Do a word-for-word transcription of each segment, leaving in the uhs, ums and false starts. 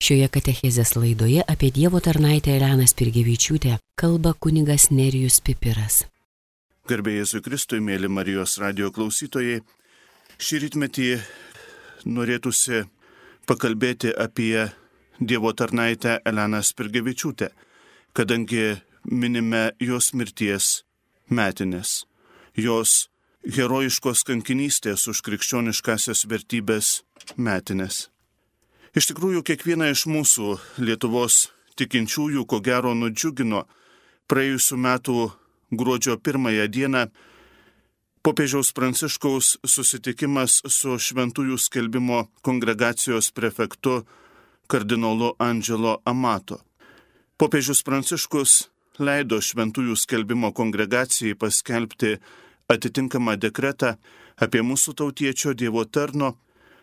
Šioje katechezės laidoje apie Dievo tarnaitę Eleną Spirgevičiūtę kalba kunigas Nerijus Pipiras. Garbė Jėzui Kristui, mėly Marijos radijo klausytojai, šį rytmetį norėtųsi pakalbėti apie Dievo tarnaitę Eleną Spirgevičiūtę, kadangi minime jos mirties metinės, jos herojiškos kankinystės už krikščioniškasias vertybės metinės. Iš tikrųjų, kiekvieną iš mūsų Lietuvos tikinčiųjų ko gero nudžiugino praėjusių metų gruodžio pirmąją dieną popiežiaus Pranciškaus susitikimas su Šventųjų skelbimo kongregacijos prefektu kardinolu Angelo Amato. Popiežius Pranciškus leido Šventųjų skelbimo kongregacijai paskelbti atitinkamą dekretą apie mūsų tautiečio Dievo tarno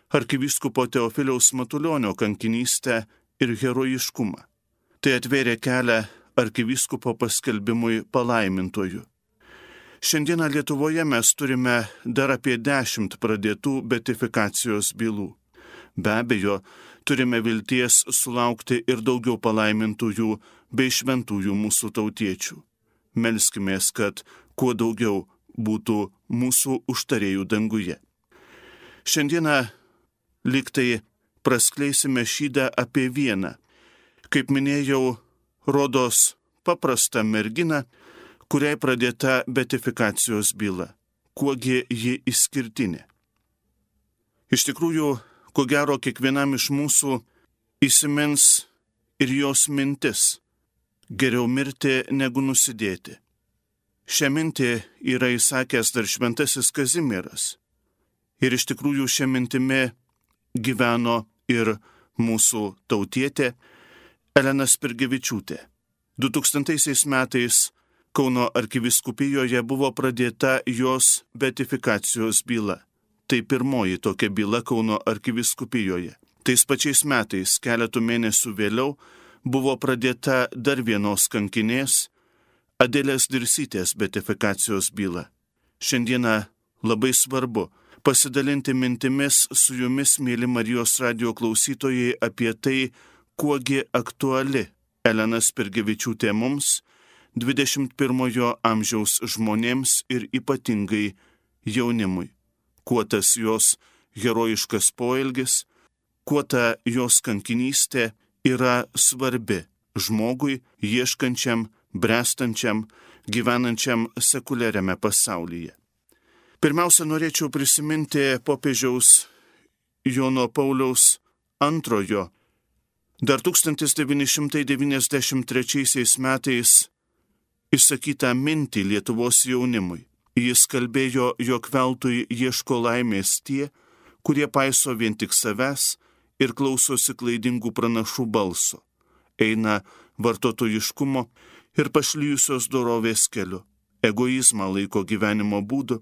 arkivyskupo Teofiliaus Matulionio kankinystę ir herojiškumą. Tai atvėrė kelią arkivyskupo paskelbimui palaimintojų. Šiandieną Lietuvoje mes turime dar apie dešimt pradėtų beatifikacijos bylų. Be abejo, turime vilties sulaukti ir daugiau palaimintųjų bei šventųjų mūsų tautiečių. Melskimės, kad kuo daugiau būtų mūsų užtarėjų danguje. Šiandieną lygtai praskleisime šydą apie vieną, kaip minėjau, rodos paprastą merginą, kuriai pradėta beatifikacijos byla. Kuogi ji išskirtinė? Iš tikrųjų, ko gero kiekvienam iš mūsų įsimins ir jos mintis. Geriau mirti negu nusidėti. Šią mintį yra įsakęs dar šventasis Kazimieras. Ir iš tikrųjų šią mintimį gyveno ir mūsų tautietė Elena Spirgevičiūtė. du tūkstantaisiais metais Kauno arkivyskupijoje buvo pradėta jos beatifikacijos byla. Tai pirmoji tokia byla Kauno arkivyskupijoje. Tais pačiais metais, keletų mėnesių vėliau, buvo pradėta dar vienos kankinės, Adelės Dirsytės beatifikacijos byla. Šiandieną labai svarbu pasidalinti mintimis su jumis, mėly Marijos radijo klausytojai, apie tai, kuogi aktuali Elena Spirgevičiūtė mums, dvidešimt pirmojo amžiaus žmonėms ir ypatingai jaunimui. Kuo tas jos herojiškas poelgis, kuo ta jos kankinystė yra svarbi žmogui, ieškančiam, brestančiam, gyvenančiam sekuliariame pasaulyje. Pirmiausia, norėčiau prisiminti popiežiaus Jono Pauliaus antrojo, dar tūkstantis devyni šimtai devyniasdešimt trečiaisiais metais išsakytą mintį Lietuvos jaunimui. Jis kalbėjo, jog veltui ieško laimės tie, kurie paiso vien tik savęs ir klausosi klaidingų pranašų balso, eina vartotojiškumo ir pašlijusios dorovės keliu, egoizmą laiko gyvenimo būdu,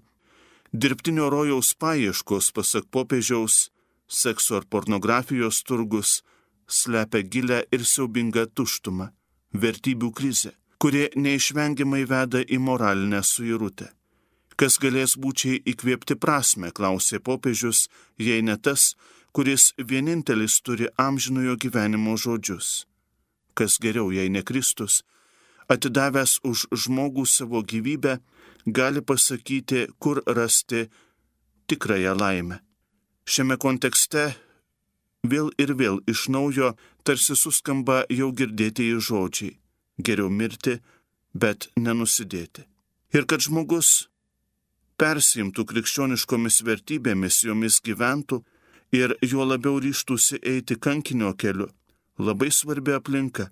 dirbtinio rojaus paieškos, pasak popiežiaus, sekso ar pornografijos turgus slepia gilę ir siaubingą tuštumą, vertybių krizę, kurie neišvengiamai veda į moralinę suirutę. Kas galės būčiai įkvėpti prasmę, klausė popiežius, jei ne tas, kuris vienintelis turi amžinojo gyvenimo žodžius. Kas geriau, jei ne Kristus, atidavęs už žmogų savo gyvybę, gali pasakyti, kur rasti tikrąją laimę. Šiame kontekste vėl ir vėl iš naujo tarsi suskamba jau girdėtieji žodžiai. Geriau mirti, bet nenusidėti. Ir kad žmogus persiimtų krikščioniškomis vertybėmis, jomis gyventų ir juo labiau ryžtųsi eiti kankinio keliu, labai svarbi aplinka,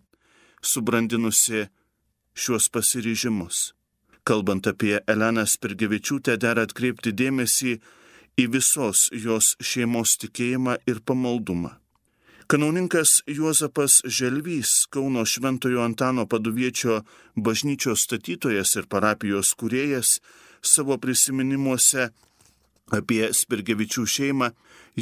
subrandinusi šiuos pasiryžimus. Kalbant apie Eleną Spirgevičiūtę, dera atkreipti dėmesį į visos jos šeimos tikėjimą ir pamaldumą. Kanauninkas Juozapas Želvys, Kauno Šventojo Antano Paduviečio bažnyčios statytojas ir parapijos kūrėjas, savo prisiminimuose apie Spirgevičių šeimą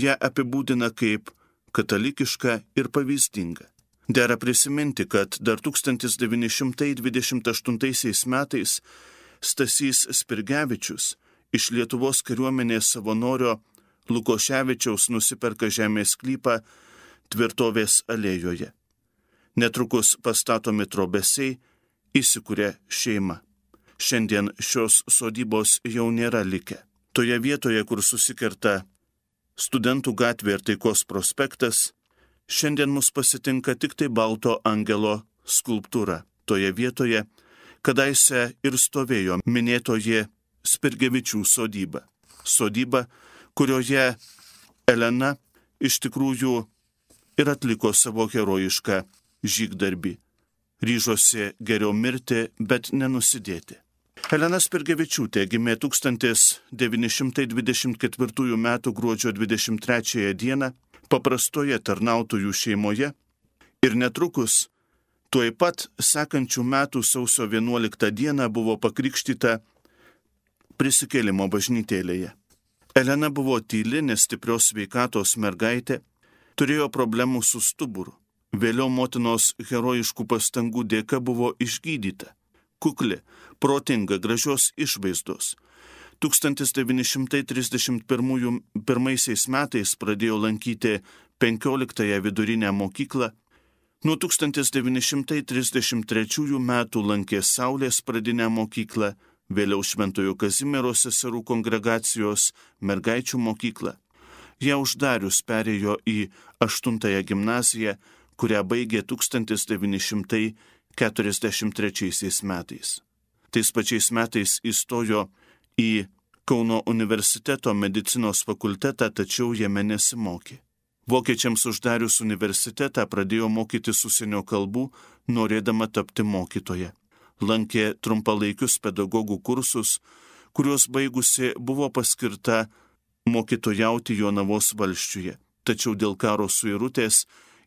ją apibūdina kaip katalikišką ir pavyzdingą. Dera prisiminti, kad dar tūkstantis devyni šimtai dvidešimt aštuntaisiais metais Stasys Spirgevičius iš Lietuvos kariuomenės savanorio Lukoševičiaus nusiperka žemės sklypą tvirtovės alėjoje. Netrukus pastatomi trobesiai, įsikuria šeima. Šiandien šios sodybos jau nėra likę. Toje vietoje, kur susikerta Studentų gatvė ir Taikos prospektas, šiandien mus pasitinka tik tai balto angelo skulptūra. Toje vietoje kadaise ir stovėjo minėtoji Spirgevičių sodyba. Sodyba, kurioje Elena iš tikrųjų ir atliko savo herojišką žygdarbį. Ryžosi geriau mirti, bet nenusidėti. Elena Spirgevičiūtė gimė tūkstantis devyni šimtai dvidešimt ketvirtųjų metų gruodžio dvidešimt trečiąją dieną paprastoje tarnautojų šeimoje ir netrukus tuoj pat sekančių metų sausio vienuoliktą dieną buvo pakrikštyta Prisikėlimo bažnytėlėje. Elena buvo tyli, nestiprios sveikatos mergaitė, turėjo problemų su stuburu. Vėliau motinos herojiškų pastangų dėka buvo išgydyta. Kukli, protinga, gražios išvaizdos. tūkstantis devyni šimtai trisdešimt pirmaisiais metais pradėjo lankyti penkioliktąją vidurinę mokyklą. Nuo tūkstantis devyni šimtai trisdešimt trečiųjų metų lankė Saulės pradinę mokyklą, vėliau Šventojo Kazimiero seserų kongregacijos mergaičių mokyklą. Ją uždarius perėjo į aštuntąją gimnaziją, kurią baigė tūkstantis devyni šimtai keturiasdešimt trečiaisiais metais. Tais pačiais metais įstojo į Kauno universiteto medicinos fakultetą, tačiau jame nesimokė. Vokiečiams uždarius universitetą pradėjo mokytis užsienio kalbų, norėdama tapti mokytoja. Lankė trumpalaikius pedagogų kursus, kuriuos baigusi buvo paskirta mokytojauti Jonavos valsčiuje, tačiau dėl karo suirutės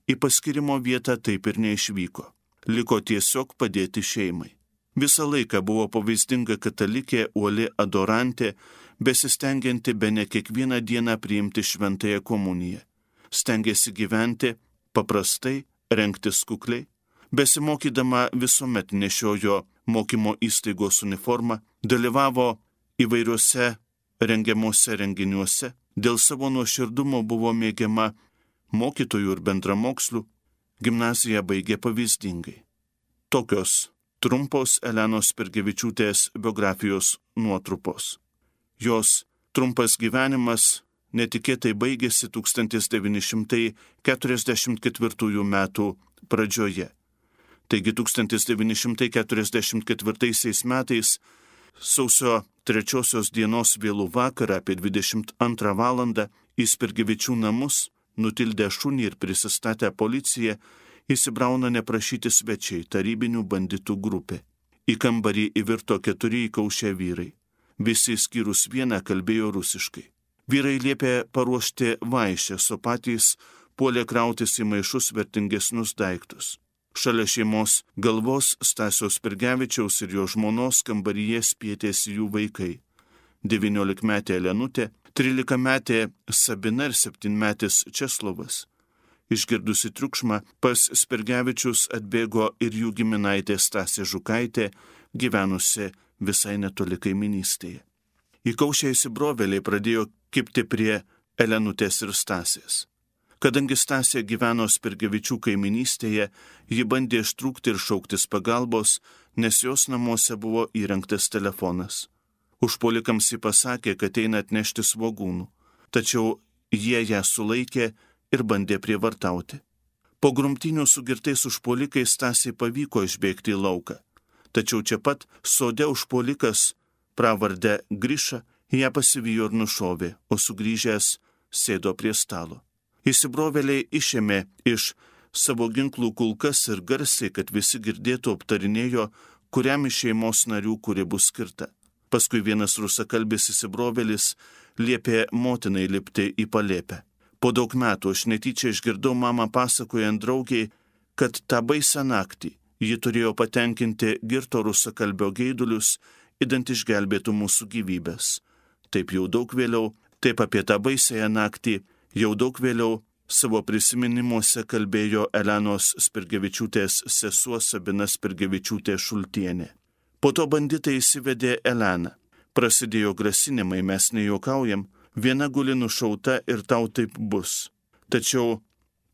į paskirimo vietą taip ir neišvyko. Liko tiesiog padėti šeimai. Visą laiką buvo pavyzdinga katalikė, uoli adorantė, besistengianti bene kiekvieną dieną priimti šventąją komuniją. Stengėsi gyventi paprastai, rengtis kukliai. Besimokydama visuomet nešiojo mokymo įstaigos uniformą, dalyvavo įvairiuose rengiamuose renginiuose, dėl savo nuoširdumo buvo mėgiama mokytojų ir bendramokslių, gimnaziją baigė pavyzdingai. Tokios trumpos Elenos Spirgevičiūtės biografijos nuotrupos. Jos trumpas gyvenimas netikėtai baigėsi tūkstantis devyni šimtai keturiasdešimt ketvirtųjų metų pradžioje. Taigi tūkstantis devyni šimtai keturiasdešimt ketvirtaisiais metais sausio trečiosios dienos vėlų vakarą apie dvidešimt antrą valandą į Spirgevičių namus, nutildę šunį ir prisistatę policiją, įsibrauna neprašyti svečiai, tarybinių banditų grupė. Į kambarį įvirto keturi įkaušę vyrai. Visi skyrus vieną kalbėjo rusiškai. Vyrai liepė paruošti vaišes, o patys puolė krautis į maišus vertingesnius daiktus. Šalia šeimos galvos Stasio Spirgevičiaus ir jo žmonos kambaryje spietėsi jų vaikai. devyniolikmetė Elenutė, trylikametė Sabina ir septynmetis Česlovas. Išgirdusi triukšmą, pas Spirgevičius atbėgo ir jų giminaitė Stasė Žukaitė, gyvenusi visai netoli kaiminystėje. Įkaušę įsibrovėliai pradėjo kibti prie Elenutės ir Stasės. Kadangi Stasė gyveno Spirgevičių kaiminystėje, ji bandė ištrūkti ir šauktis pagalbos, nes jos namuose buvo įrengtas telefonas. Užpuolikams ji pasakė, kad eina atnešti svogūnų, tačiau jie ją sulaikė ir bandė prievartauti. Po grumtynių su girtais užpuolikais Stasiai pavyko išbėgti į lauką, tačiau čia pat sode užpuolikas pravardę Griša ją pasivijo ir nušovė, o sugrįžęs sėdo prie stalo. Įsibrovėliai išėmė iš savo ginklų kulkas ir garsiai, kad visi girdėtų, aptarinėjo, kuriam iš šeimos narių kuri bus skirta. Paskui vienas rusakalbis įsibrovėlis liepė motinai lipti į palėpę. Po daug metų aš netyčia išgirdau mamą pasakojant draugiai, kad tą baisą naktį ji turėjo patenkinti girto rusakalbio geidulius, idant išgelbėtų mūsų gyvybės. Taip jau daug vėliau, taip apie tą baisąją naktį, jau daug vėliau savo prisiminimuose kalbėjo Elenos Spirgevičiūtės sesuo Sabina Spirgevičiūtė Šultienė. Po to banditai įsivedė Eleną. Prasidėjo grasinimai, mes nejuokaujam, viena guli nušauta ir tau taip bus. Tačiau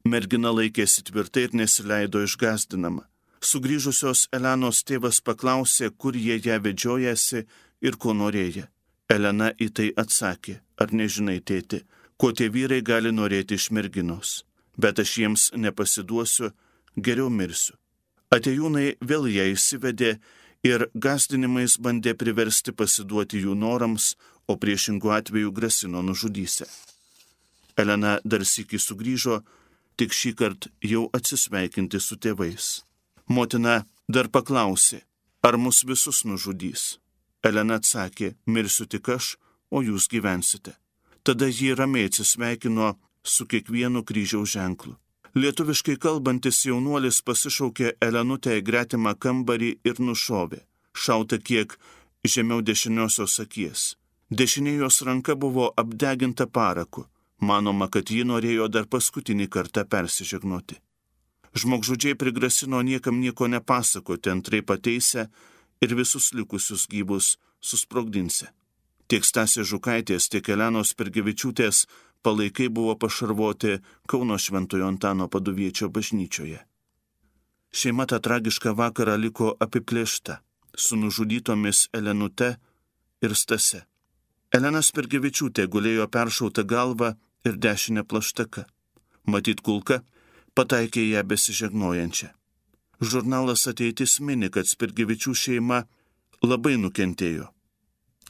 Mergina laikėsi tvirtai ir nesileido išgąsdinama. Sugrįžusios Elenos tėvas paklausė, kur jie ją vedžiojasi ir ko norėjo. Elena į tai atsakė, ar nežinai, tėti, ko tie vyrai gali norėti iš merginos. Bet aš jiems nepasiduosiu, geriau mirsiu. Atėjūnai vėl ją įsivedė ir gąsdinimais bandė priversti pasiduoti jų norams, o priešingų atveju grasino nužudysę. Elena dar sykį sugrįžo, tik šį kartą jau atsisveikinti su tėvais. Motina dar paklausė, ar mus visus nužudys. Elena atsakė, mirsiu tik aš, o jūs gyvensite. Tada ji ramiai atsisveikino su kiekvienu kryžiaus ženklu. Lietuviškai kalbantis jaunuolis pasišaukė Elenutę į gretimą kambarį ir nušovė, šauta kiek žemiau dešiniosios akies. Dešinė jos ranka buvo apdeginta paraku. Manoma, kad ji norėjo dar paskutinį kartą persižegnoti. Žmogžudžiai prigrasino niekam nieko nepasakoti, antrai pateisę ir visus likusius gyvus susprogdinsę. Tiek Stasės Žukaitės, tiek Elenos Spirgevičiūtės palaikai buvo pašarvoti Kauno Šventojo Antano Paduviečio bažnyčioje. Šeima tą tragišką vakarą liko apiplėšta, su nužudytomis Elenute ir Stase. Elena Spirgevičiūtė gulėjo peršauta galva ir dešinė plaštaka. Matyt, kulka pataikė ją besižegnojančią. Žurnalas Ateitis mini, kad Spirgevičių šeima labai nukentėjo.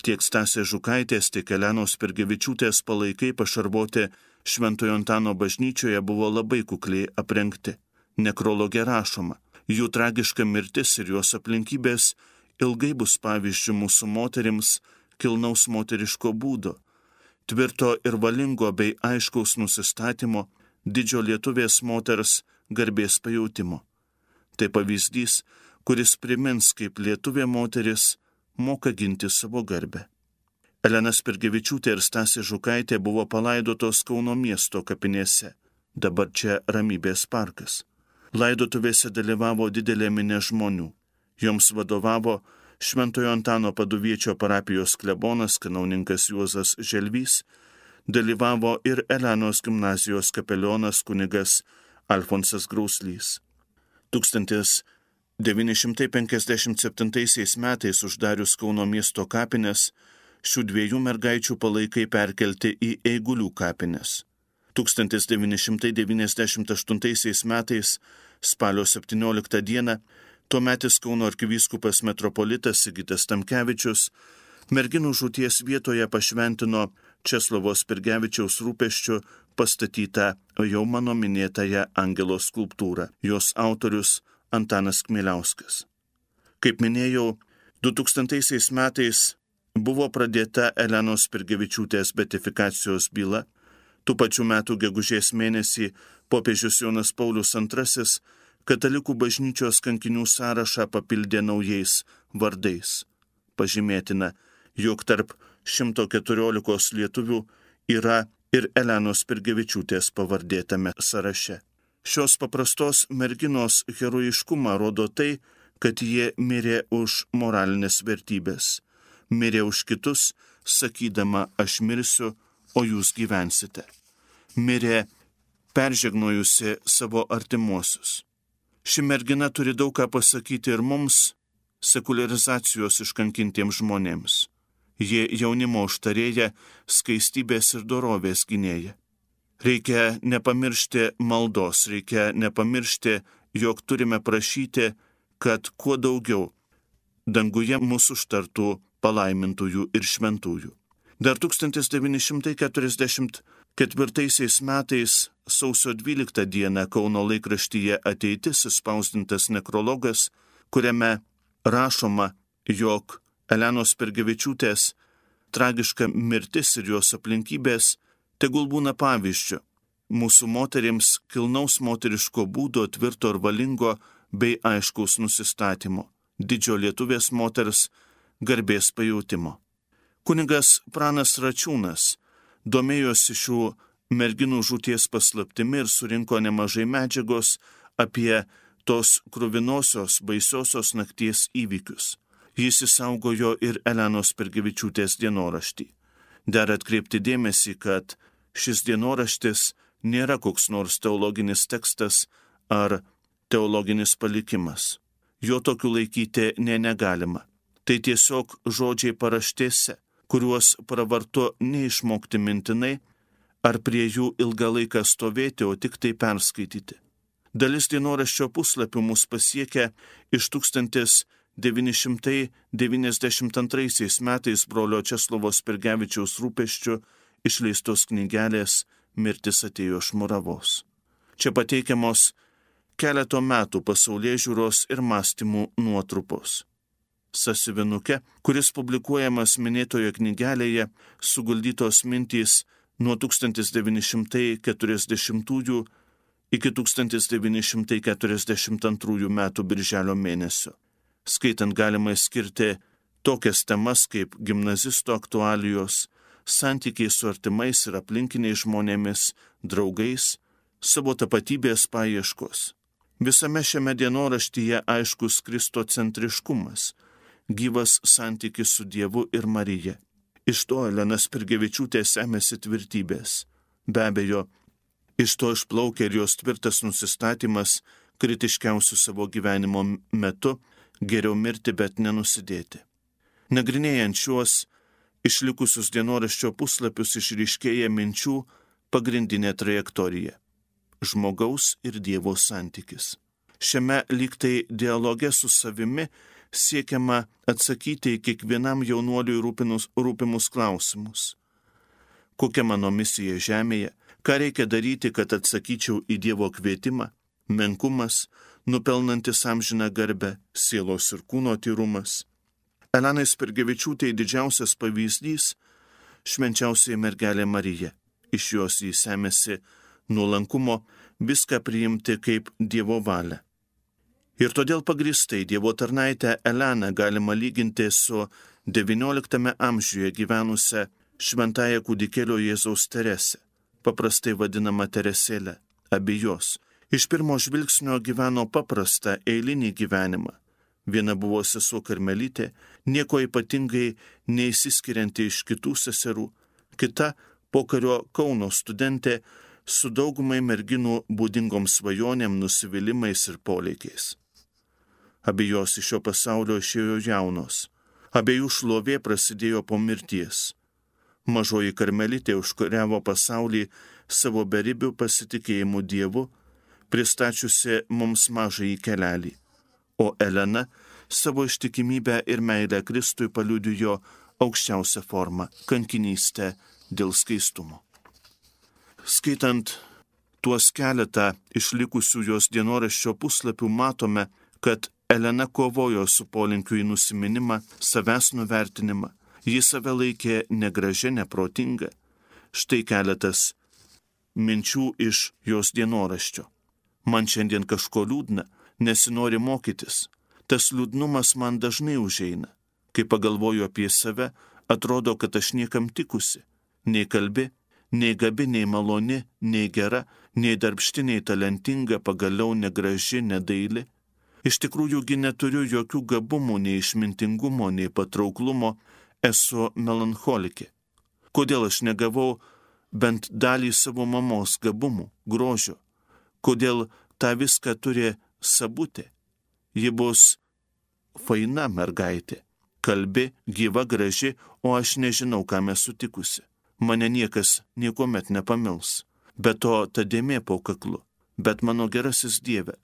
Tiek Stasės Žukaitės, tiek Elenos Spirgevičiūtės palaikai pašarvoti Šventojo Antano bažnyčioje buvo labai kukliai aprengti. Nekrologe rašoma, jų tragiška mirtis ir jos aplinkybės ilgai bus pavyzdžių mūsų moterims kilnaus moteriško būdo, tvirto ir valingo bei aiškaus nusistatymo, didžio lietuvės moters garbės pajautimo. Tai pavyzdys, kuris primins, kaip lietuvė moteris moka ginti savo garbę. Elena Spirgevičiūtė ir Stasė Žukaitė buvo palaidotos Kauno miesto kapinėse, dabar čia Ramybės parkas. Laidotuvėse dalyvavo didelė minė žmonių. Joms vadovavo Šventojo Antano Paduviečio parapijos klebonas kanauninkas Juozas Želvys, dalyvavo ir Elenos gimnazijos kapelionas kunigas Alfonsas Grauslys. tūkstantis devyni šimtai penkiasdešimt septintaisiais metais uždarius Kauno miesto kapines, šių dviejų mergaičių palaikai perkelti į Eigulių kapines. tūkstantis devyni šimtai devyniasdešimt aštuntaisiais metais spalio septynioliktą dieną tuometis Kauno arkivyskupas metropolitas Sigitas Tamkevičius merginų žūties vietoje pašventino Česlovo Spirgevičiaus rūpesčiu pastatytą jau mano minėtąją angelo skulptūrą. Jos autorius Antanas Kmieliauskas. Kaip minėjau, du tūkstantaisiais metais buvo pradėta Elenos Spirgevičiūtės beatifikacijos byla. Tų pačių metų gegužės mėnesį popiežius Jonas Paulius antrasis katalikų bažnyčios kankinių sąrašą papildė naujais vardais. Pažymėtina, jog tarp šimto keturiolikos lietuvių yra ir Elenos Spirgevičiūtės pavardė tame sąraše. Šios paprastos merginos herojiškumą rodo tai, kad jie mirė už moralinės vertybės. Mirė už kitus, sakydama, aš mirsiu, o jūs gyvensite. Mirė peržegnojusi savo artimuosius. Ši mergina turi daug ką pasakyti ir mums, sekularizacijos iškankintiems žmonėms. Jie jaunimo užtarėja, skaistybės ir dorovės gynėja. Reikia nepamiršti maldos, reikia nepamiršti, jog turime prašyti, kad kuo daugiau danguje mūsų užtartų palaimintųjų ir šventųjų. Dar tūkstantis devyni šimtai keturiasdešimt ketvirtaisiais metais sausio dvyliktą dieną Kauno laikraštyje Ateitis išspausdintas nekrologas, kuriame rašoma, jog Elenos Spirgevičiūtės tragiška mirtis ir jos aplinkybės tegul būna pavyzdžiu mūsų moterims kilnaus moteriško būdo, tvirto ir valingo bei aiškaus nusistatymo, didžio lietuvės moters garbės pajautimo. Kunigas Pranas Račiūnas domėjosi šių merginų žūties paslaptimi ir surinko nemažai medžiagos apie tos kruvinosios, baisiosios nakties įvykius. Jis įsaugojo ir Elenos Spirgevičiūtės dienoraštį. Dar atkreipti dėmesį, kad šis dienoraštis nėra koks nors teologinis tekstas ar teologinis palikimas. Jo tokiu laikyti ne negalima. Tai tiesiog žodžiai paraštėse, kuriuos pravartu neišmokti mintinai ar prie jų ilgą laiką stovėti, o tik tai perskaityti. Dalis dienoraščio puslapių mus pasiekia iš tūkstantis devyni šimtai devyniasdešimt antraisiais metais brolio Česlovo Spirgevičiaus rūpesčių išleistos knygelės Mirtis atėjo iš Muravos. Čia pateikiamos keleto metų pasaulėžiūros ir mąstymų nuotrupos. Sąsiuvinuke, kuris publikuojamas minėtoje knygelėje, suguldytos mintys nuo tūkstantis devyni šimtai keturiasdešimtųjų iki tūkstantis devyni šimtai keturiasdešimt antrųjų metų birželio mėnesio. Skaitant galima skirti tokias temas kaip gimnazisto aktualijos, santykiai su artimais ir aplinkiniais žmonėmis, draugais, savo tapatybės paieškos. Visame šiame dienoraštyje aiškus kristocentriškumas, gyvas santykis su Dievu ir Marija. Iš to Elena Spirgevičiūtė semėsi tvirtybės. Be abejo, iš to išplaukia ir jos tvirtas nusistatymas kritiškiausių savo gyvenimo metu geriau mirti, bet nenusidėti. Nagrinėjant šiuos išlikusius dienoraščio puslapius išryškėja minčių pagrindinė trajektorija – žmogaus ir Dievo santykis. Šiame lygtai dialoge su savimi siekiama atsakyti į kiekvienam jaunuoliui rūpinus, rūpimus klausimus. Kokia mano misija žemėje, ką reikia daryti, kad atsakyčiau į Dievo kvietimą, menkumas, nupelnantis amžiną garbę, sielos ir kūno tyrumas. Elenai Spirgevičiūtei didžiausias pavyzdys – švenčiausiai mergelė Marija. Iš jos jį semėsi nuolankumo viską priimti kaip Dievo valią. Ir todėl pagristai Dievo tarnaitę Eleną galima lyginti su devynioliktame amžiuje gyvenusią šventąją kūdikėlio Jėzaus Teresę, paprastai vadinama Teresėlė, abijos. Iš pirmo žvilgsnio gyveno paprastą eilinį gyvenimą. Viena buvo sesuo karmelitė, nieko ypatingai neįsiskirianti iš kitų seserų, kita pokario Kauno studentė su daugumai merginų būdingom svajonėm, nusivylimais ir poleikiais. Abejos iš šio pasaulio išėjo jaunos. Abiejų šlovė prasidėjo po mirties. Mažoji karmelitė užkariavo pasaulį savo beribių pasitikėjimų Dievu, pristačiusi mums mažąjį kelelį, o Elena savo ištikimybę ir meilę Kristui paliudijo aukščiausią formą – kankinystę dėl skaistumo. Skaitant tuos keletą išlikusių jos dienoraščio puslapių matome, kad Elena kovojo su polinkiu į nusiminimą, savęs nuvertinimą. Ji save laikė negražia, neprotinga. Štai keletas minčių iš jos dienoraščio. Man šiandien kažko liūdna, nesinori mokytis. Tas liūdnumas man dažnai užeina. Kai pagalvoju apie save, atrodo, kad aš niekam tikusi. Nei kalbi, nei gabi, nei maloni, nei gera, nei darbšti, nei talentinga, pagaliau negraži, nedaili. Iš tikrųjųgi neturiu jokių gabumų, nei išmintingumo, nei patrauklumo, esu melancholikė. Kodėl aš negavau bent dalį savo mamos gabumų, grožio? Kodėl tą viską turi Sabutė? Ji bus faina mergaitė, kalbi, gyva, graži, o aš nežinau, kam esu tikusi. Mane niekas niekuomet nepamils. Be to, ta dėmė po kaklu. Bet mano gerasis Dieve,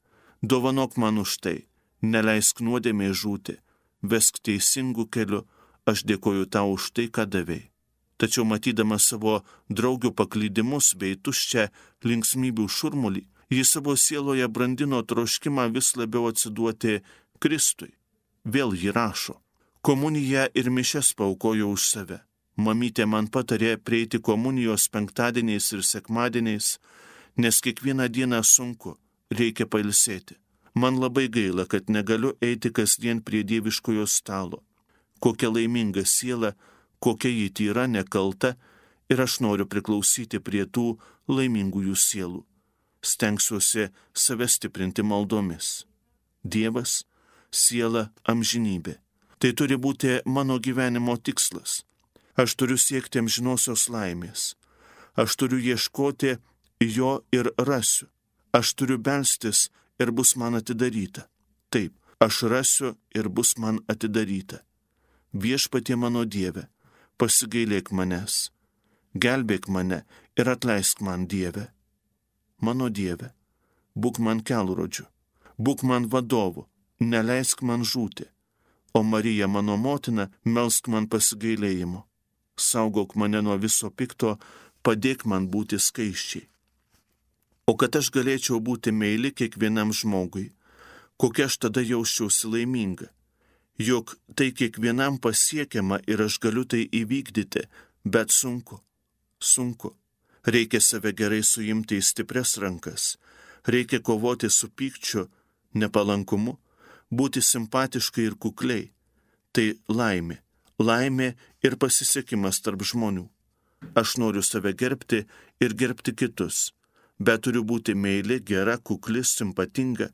dovanok man už tai, neleisk nuodėmė žūti, vesk teisingų keliu, aš dėkoju tau už tai, ką davei. Tačiau matydama savo draugių paklydimus bei tuščią linksmybių šurmulį, ji savo sieloje brandino troškimą vis labiau atsiduoti Kristui. Vėl ji rašo, komuniją ir mišias paaukojo už save. Mamytė man patarė prieiti komunijos penktadieniais ir sekmadieniais, nes kiekvieną dieną sunku, reikia pailsėti. Man labai gaila, kad negaliu eiti kasdien prie dieviškojo stalo. Kokia laiminga siela, kokia ji tyra, nekalta, ir aš noriu priklausyti prie tų laimingųjų sielų. Stengsiuosi save stiprinti maldomis. Dievas, siela, amžinybė. Tai turi būti mano gyvenimo tikslas. Aš turiu siekti amžinosios laimės. Aš turiu ieškoti jo ir rasiu. Aš turiu belstis ir bus man atidaryta. Taip, aš rasiu ir bus man atidaryta. Viešpatie mano Dieve, pasigailėk manęs. Gelbėk mane ir atleisk man, Dieve. Mano Dieve, būk man kelrodžiu, būk man vadovu, neleisk man žūti. O Marija, mano motina, melsk man pasigailėjimo. Saugok mane nuo viso pikto, padėk man būti skaisčiai. O kad aš galėčiau būti meili kiekvienam žmogui, kokia aš tada jausčiausi laiminga. Juk tai kiekvienam pasiekiama ir aš galiu tai įvykdyti, bet sunku, sunku. Reikia save gerai suimti į stiprias rankas, reikia kovoti su pykčiu, nepalankumu, būti simpatiškai ir kukliai. Tai laimė, laimė ir pasisekimas tarp žmonių. Aš noriu save gerbti ir gerbti kitus, bet turiu būti meili, gera, kukli, simpatinga.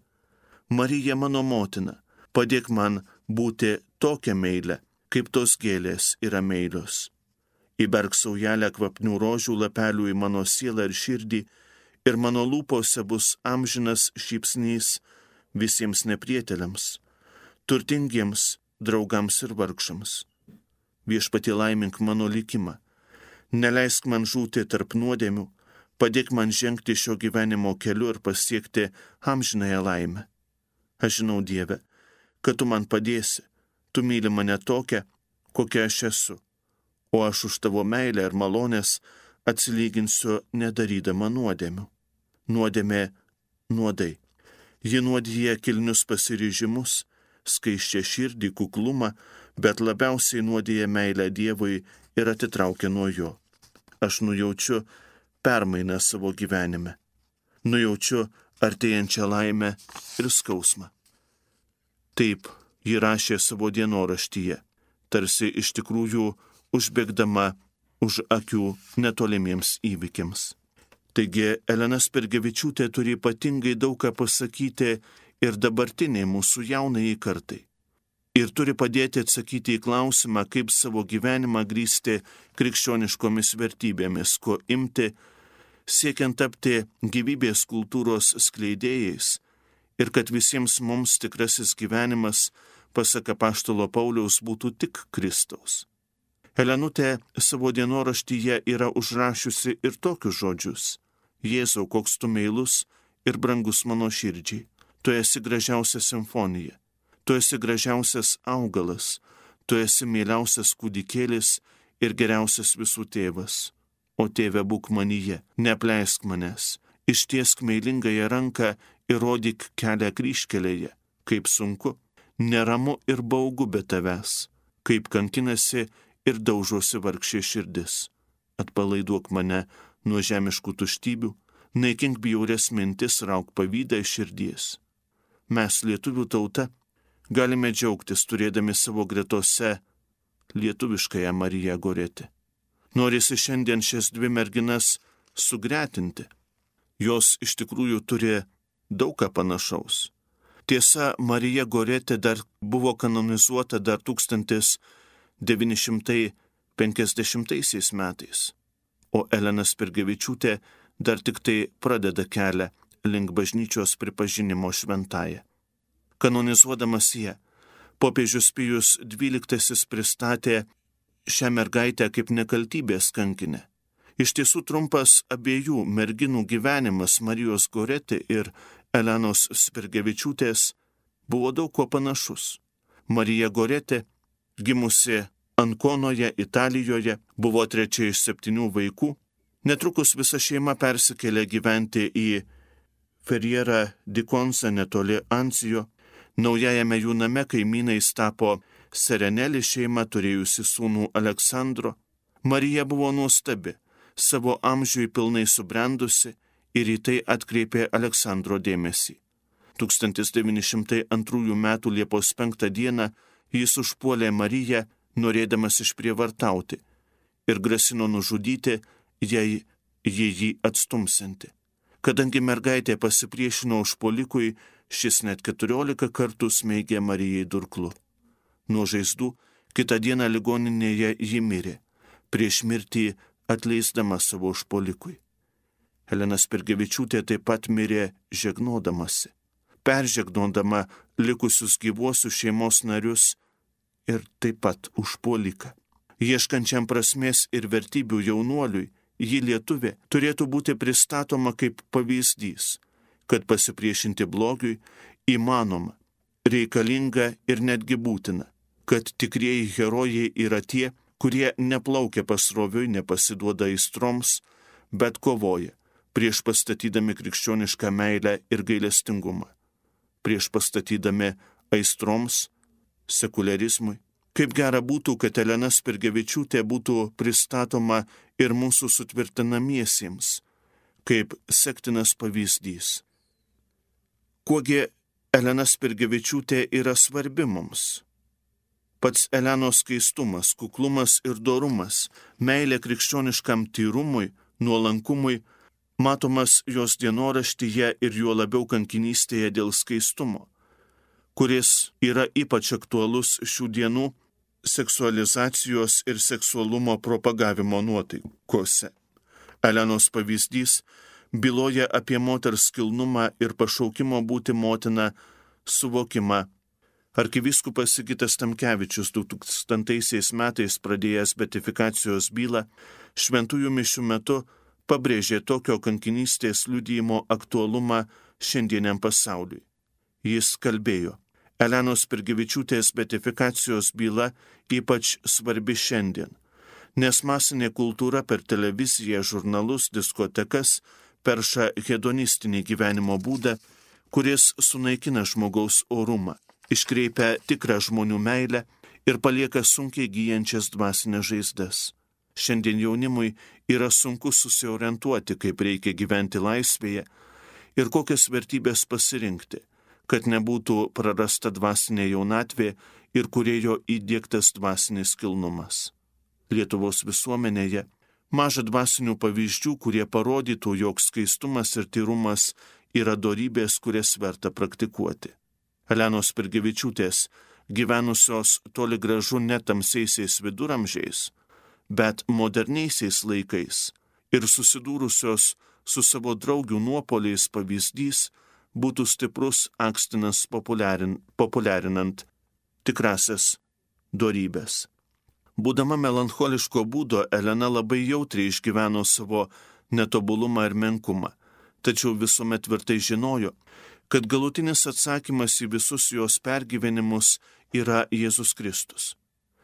Marija mano motina, padėk man būti tokia meilė, kaip tos gėlės yra meilios. Įberk saujelę kvapnių rožių lapelių į mano sielą ir širdį, ir mano lūpose bus amžinas šypsnys visiems neprieteliams, turtingiems draugams ir vargšams. Viešpatie, laimink mano likimą, neleisk man žūti tarp nuodėmių, padėk man žengti šio gyvenimo keliu ir pasiekti amžinąją laimę. Aš žinau, Dieve, kad tu man padėsi, tu myli mane tokią, kokia aš esu, o aš už tavo meilę ir malonės atsilyginsiu nedarydama nuodėmių. Nuodėmė nuodai. Ji nuodija kilnius pasiryžimus, skaisčią širdį, kuklumą, bet labiausiai nuodija meilę Dievui ir atitraukia nuo jo. Aš nujaučiu permainą savo gyvenime. Nujaučiu artėjančią laimę ir skausmą. Taip ji rašė savo dienoraštyje, tarsi iš tikrųjų užbėgdama už akių netolimiems įvykiams. Taigi Elena Spirgevičiūtė turi ypatingai daug ką pasakyti ir dabartiniai mūsų jaunajai kartai. Ir turi padėti atsakyti į klausimą, kaip savo gyvenimą grįsti krikščioniškomis vertybėmis, ko imti, siekiant tapti gyvybės kultūros skleidėjais ir kad visiems mums tikrasis gyvenimas, pasak apaštalo Pauliaus, būtų tik Kristaus. Elenutė savo dienoraštyje yra užrašiusi ir tokius žodžius: Jėzau, koks tu meilus ir brangus mano širdžiai, tu esi gražiausia simfonija, tu esi gražiausias augalas, tu esi mieliausias kūdikėlis ir geriausias visų tėvas. O tėve, būk manyje, neapleisk manęs, ištiesk meilingąją ranką ir rodyk kelią kryžkelėje, kaip sunku, neramu ir baugu be tavęs, kaip kankinasi ir daužosi vargšė širdis. Atpalaiduok mane nuo žemiškų tuštybių, naikink bjaurias mintis, rauk pavydą iš širdies. Mes, lietuvių tauta, galime džiaugtis turėdami savo gretose lietuviškąją Mariją Goretę. Norisi šiandien šias dvi merginas sugretinti. Jos iš tikrųjų turi daug ką panašaus. Tiesa, Marija Goretė dar buvo kanonizuota dar tūkstantis devyni šimtai penkiasdešimtaisiais metais, o Elena Spirgevičiūtė dar tik tai pradeda kelią link bažnyčios pripažinimo šventąja. Kanonizuodamas ją, popiežius Pijus dvyliktasis pristatė šią mergaitę kaip nekaltybės kankinę. Iš tiesų trumpas abiejų merginų gyvenimas, Marijos Goretė ir Elenos Spirgevičiūtės, buvo daug kuo panašus. Marija Goretė, gimusi Ankonoje, Italijoje, buvo trečia iš septynių vaikų. Netrukus visa šeima persikėlė gyventi į Ferrierą di Conza netoli Anzijo. Naujajame jų name kaimynais tapo Serenelį šeima, turėjusi sūnų Aleksandro. Marija buvo nuostabi, savo amžiui pilnai subrendusi ir į tai atkreipė Aleksandro dėmesį. tūkstantis devyni šimtai antrųjų metų Liepos penktą dieną jis užpuolė Mariją, norėdamas išprievartauti, ir grasino nužudyti, jei ji jį atstumsianti. Kadangi mergaitė pasipriešino užpuolikui, šis net keturiolika kartų smeigė Marijai durklu. Nuo žaizdų kitą dieną ligoninėje ji mirė, prieš mirtį atleisdama savo užpuolikui. Elena Spirgevičiūtė taip pat mirė žegnodamasi, peržegnodama likusius gyvuosius šeimos narius ir taip pat užpuoliką. Ieškančiam prasmės ir vertybių jaunuoliui, ji lietuvė, turėtų būti pristatoma kaip pavyzdys, kad pasipriešinti blogiui įmanoma, reikalinga ir netgi būtina, kad tikrieji herojai yra tie, kurie neplaukia pasroviui, nepasiduoda aistroms, bet kovoja, prieš pastatydami krikščionišką meilę ir gailestingumą, prieš pastatydami aistroms, sekuliarizmui. Kaip gera būtų, kad Elena Spirgevičiūtė būtų pristatoma ir mūsų sutvirtinamiesiems, kaip sektinas pavyzdys. Kuogi Elena Spirgevičiūtė yra svarbi mums? Pats Elenos skaistumas, kuklumas ir dorumas, meilė krikščioniškam tyrumui, nuolankumui, matomas jos dienoraštyje ir juo labiau kankinystėje dėl skaistumo, kuris yra ypač aktualus šių dienų seksualizacijos ir seksualumo propagavimo nuotaikose. Elenos pavyzdys byloja apie moters kilnumą ir pašaukimo būti motina suvokimą. Arkivyskupas Sigitas Tamkevičius du tūkstantaisiais metais pradėjęs beatifikacijos bylą šventųjų mišių metu pabrėžė tokio kankinystės liudijimo aktualumą šiandieniam pasauliui. Jis kalbėjo: Elenos Spirgevičiūtės beatifikacijos byla ypač svarbi šiandien, nes masinė kultūra per televiziją, žurnalus, diskotekas perša hedonistinį gyvenimo būdą, kuris sunaikina žmogaus orumą, iškreipia tikrą žmonių meilę ir palieka sunkiai gyjančias dvasinės žaizdas. Šiandien jaunimui yra sunku susiorientuoti, kaip reikia gyventi laisvėje ir kokias vertybės pasirinkti, kad nebūtų prarasta dvasinė jaunatvė ir kūrėjo įdiegtas dvasinis kilnumas. Lietuvos visuomenėje maža dvasinių pavyzdžių, kurie parodytų, jog skaistumas ir tyrumas yra dorybės, kurias verta praktikuoti. Elenos Spirgevičiūtės, gyvenusios toli gražu ne tamsiaisiais viduramžiais, bet moderniaisiais laikais ir susidūrusios su savo draugių nuopoliais pavyzdys, būtų stiprus akstinas populiarin, populiarinant tikrasias dorybės. Būdama melancholiško būdo, Elena labai jautriai išgyveno savo netobulumą ir menkumą, tačiau visuomet tvirtai žinojo, kad galutinis atsakymas į visus jos pergyvenimus yra Jėzus Kristus.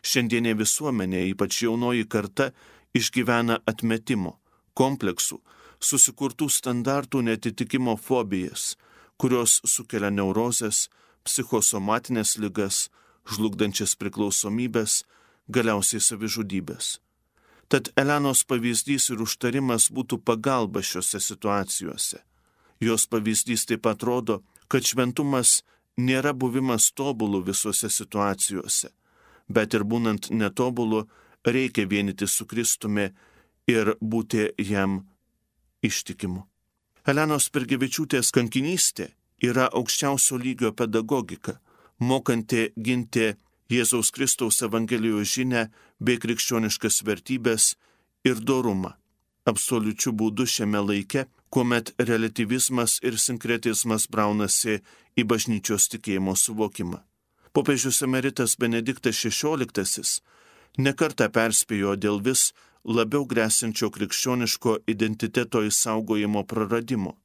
Šiandienė visuomenė, ypač jaunoji karta, išgyvena atmetimo, kompleksų, susikurtų standartų netitikimo fobijas, kurios sukelia neurozes, psichosomatinės ligas, žlugdančias priklausomybės, galiausiai savižudybės. Tad Elenos pavyzdys ir užtarimas būtų pagalba šiuose situacijose. Jos pavyzdys taip pat rodo, kad šventumas nėra buvimas tobulu visose situacijose, bet ir būnant netobulu reikia vienyti su Kristumi ir būti jam ištikimu. Elenos Spirgevičiūtės kankinystė yra aukščiausio lygio pedagogika, mokanti ginti Jėzaus Kristaus Evangelijos žinią bei krikščioniškas vertybės ir dorumą, absoliučiu būdu šiame laike, kuomet relativizmas ir sinkretizmas braunasi į bažnyčios tikėjimo suvokimą. Popiežius emeritas Benediktas šešioliktasis nekartą perspėjo dėl vis labiau grėsinčio krikščioniško identiteto išsaugojimo praradimo.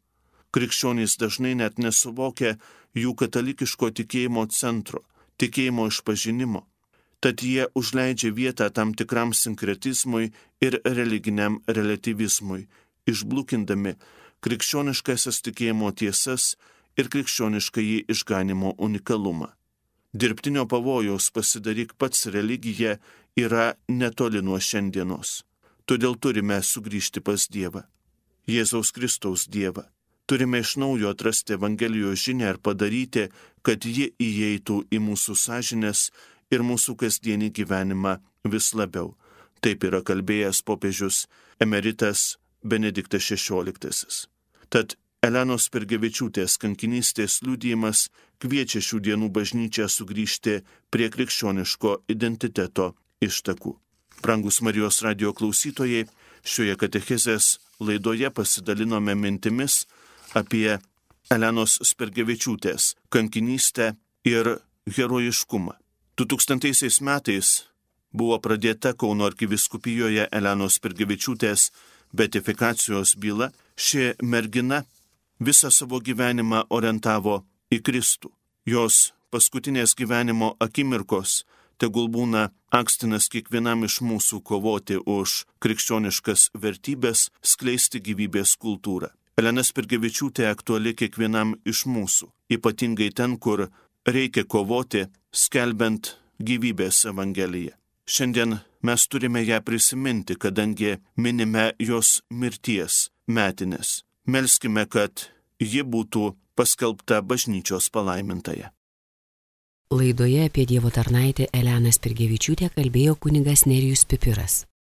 Krikščionys dažnai net nesuvokia jų katalikiško tikėjimo centro, tikėjimo išpažinimo, tad jie užleidžia vietą tam tikram sinkretizmui ir religiniam relativizmui, išblukindami krikščioniškasias tikėjimo tiesas ir krikščioniškąjį išganimo unikalumą. Dirbtinio pavojaus pasidaryk pats religija yra netoli nuo šiandienos. Todėl turime sugrįžti pas Dievą, Jėzaus Kristaus Dievą. Turime iš naujo atrasti Evangelijos žinią ir padaryti, kad ji įeitų į mūsų sąžinės ir mūsų kasdienį gyvenimą vis labiau. Taip yra kalbėjęs popiežius emeritas Benediktas šešioliktasis. Tad Elenos Spirgevičiūtės kankinystės liudijimas kviečia šių dienų bažnyčią sugrįžti prie krikščioniško identiteto ištakų. Brangus Marijos radijo klausytojai, Šioje katechezės laidoje pasidalinome mintimis apie Elenos Spirgevičiūtės kankinystę ir herojiškumą. du tūkstantaisiais metais buvo pradėta Kauno arkivyskupijoje Elenos Spirgevičiūtės beatifikacijos byla. Ši mergina visą savo gyvenimą orientavo į Kristų. Jos paskutinės gyvenimo akimirkos tegul būna akstinas kiekvienam iš mūsų kovoti už krikščioniškas vertybės, skleisti gyvybės kultūrą. Elena Spirgevičiūtė aktuali kiekvienam iš mūsų, ypatingai ten, kur reikia kovoti, skelbiant gyvybės evangeliją. Šiandien mes turime ją prisiminti, kadangi minime jos mirties metinės. Melskime, kad ji būtų paskelbta bažnyčios palaimintąja. Laidoje apie Dievo tarnaitę Eleną Spirgevičiūtę kalbėjo kunigas Nerijus Pipiras.